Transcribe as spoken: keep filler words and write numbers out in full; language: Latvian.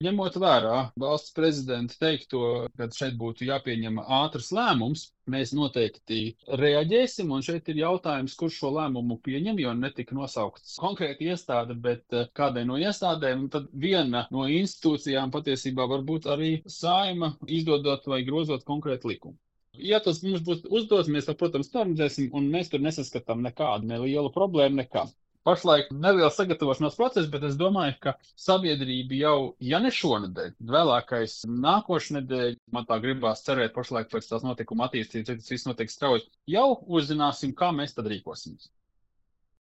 Ņemot vērā valsts prezidenta teikto, ka šeit būtu jāpieņem ātrs lēmums, mēs noteikti reaģēsim, un šeit ir jautājums, kurš šo lēmumu pieņem, jo netika nosaukts konkrēti iestāde, bet eh, kādai no iestādēm, un tad viena no institūcijām patiesībā var būt arī Saeima, izdodot vai grozot konkrētu likumu. Ja tas mums būs uzdots, mēs to, protams, norganizēsim, un mēs tur nesaskatām nekādu nelielu problēmu, nekā. Pašlaik neliels sagatavošanās process, bet es domāju, ka sabiedrība jau, ja ne šonadēļ, vēlākais nākošnedēļ, man tā gribās cerēt pašlaik pēc tās notikuma attīstības, tas viss notiek strauji, jau uzzināsim, kā mēs tad rīkosimies.